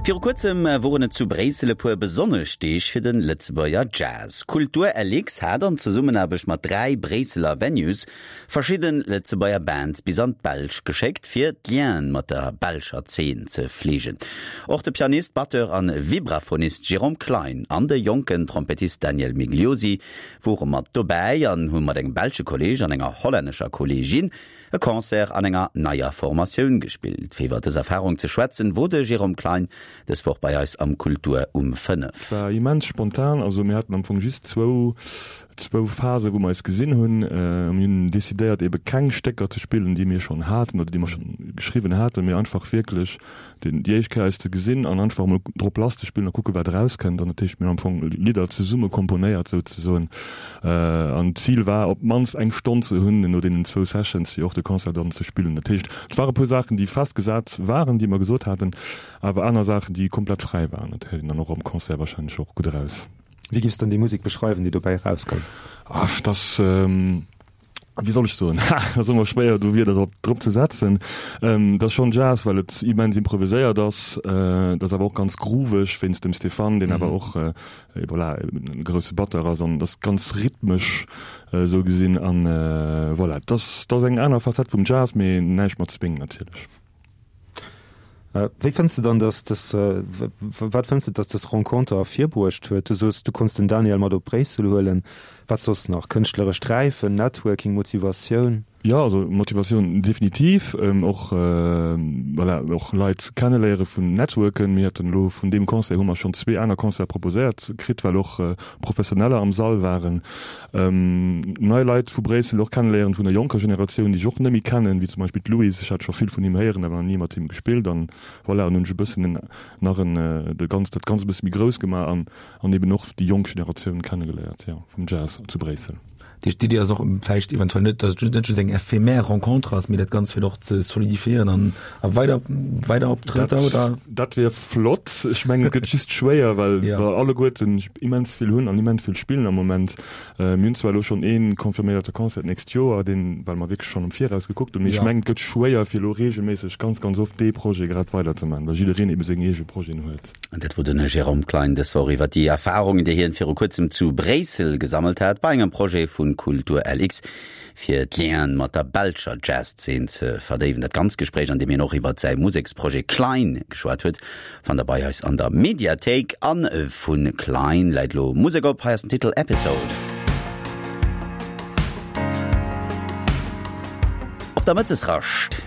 Viru kuerzem woren et zu Bréissel e puer besonnesch Deeg fir de Lëtzebuerger Jazz. Kultur LX hat an Zesummenaarbecht mat 3 Bréisseler Venues verschidde Lëtzebuerger Bands bis an d'Belsch geschéckt, fir d'Lienen mat der belscher Zeen ze fleegen. Och de Pianist, Batteur an Vibraphonist Jérôme Klein an de jonken Trompettist Daniel Migliosi wore mat dobäi an hu mat engem belsche Kolleeg an enger hollännescher Kolleegin e Concert an enger neier Formatioun gespillt. Fir iwwer dës Erfarung ze schwätzen, wor de Jérôme Klein dës Woch bei eis am Kultur um 5. War immens spontan, also mir haten am Fong just zwou zwou Phasen, wou mer eis gesinn hunn. Mir hunn decidéiert ebe keng Stécker ze spillen, déi mir schonn haten oder déi mer schonn geschriwwen haten, mee einfach wierklech déi éischt Kéier eis ze gesinn an einfach emol drop lass ze spillen a kucke wat erauskënnt. An dat heescht, mir hunn am Fong Lidder zesumme komponéiert souzesoen. An d'Zil war op d'mannst eng Stonn ze hunn no deenen zwou Sessions, fir och de Concert dann ze spillen. Dat heescht, et ware puer Saachen, déi festgesat waren, déi mer gesot haten, awer aner Saachen, déi komplett fräi waren. Dat héiert een dann och am Concert warscheinlech och gutt eraus. Wéi giffs dann déi Musek beschreiwen, déi dobäi erauskoum? Ach, dass. Wéi soll ech soen, ha, dat ass ëmmer schwéier do Wierder drop, drop ze setzen. Dat ass schonn Jazz, well et immens improviséiert ass. Dat ass awer och ganz grooveg wéinst dem Stéphane, deen awer och, voilà, e grousse Batteur ass an dat ass ganz rhythmesch esou gesinn. An voilà, dat ass, dat ass eng aner Facette vum Jazz, mee näischt mat Swing natierlech. Wéi fënns de dann, dass dës, wat fënns de, dass dës Renconter ervirbruecht huet? Du soos, du konns den Daniel mat op Bréissel huelen. Wat soss nach? Kënschtlerescht Räifen, Networking, Motivatioun? Jo, also Motivatioun definitiv. Och, voilà, och Leit kenneléiere vun Networken. Mir haten elo vun deem Concert hu mer schonn zwee aner Concerte proposéiert kritt, well och Professioneller am Sall waren. Nei Leit vu Bréissel och kenneléieren, vun der jonker Generatioun, déi ech och net méi kennen, wéi zum Beispill d'Louise. Ech hat scho vill vun him héieren, awer nach ni mat him gespillt. An voilà, an hunn ech e bëssen en nach en de ganz dat Ganzt e bësse méi grouss gemaach an an eben och déi jonk Generatioun kennegeléiert, jo, vum Jazz zu Bréissel. Dat heescht, d'Iddi ass och vläicht eventuell net, datt et net just eng éphémère Rencontre ass, mee dat Ganzt fir och ze solidifiéieren an a weider weider Optrëtter, oder? Dat wier flott. Ech mengen, et gëtt just schwéier, well well alleguerten immens vill hunn an immens vill spillen am Moment. Mir hunn zwar elo schonn ee confirméierte Concert d'nächst Joer, deen, well mer wierklech schonn am Viraus gekuckt hunn, mee ech mengen, et gëtt schwéier, fir elo reegelméisseg ganz, ganz oft dee Projet grad weiderzemaachen, well jiddereen ebe seng eege Projeten huet. An dat wor den Jérôme Klein dës Woch iwwer déi Erfarungen, déi hien viru kuerzem zu Bréissel gesammelt hat, bei engem Projet vu Kultur LX, fir d'Lienen mat der belscher Jazzszen ze verdéiwen. Dat ganzt Gespréich, an deem hien och iwwer säi Museksprojet Klein geschwat huet, fannt der bei eis an der Mediathéik. A vu Klein läit elo Musek op, hei ass den Titel Episode. Op der Mëttesrascht.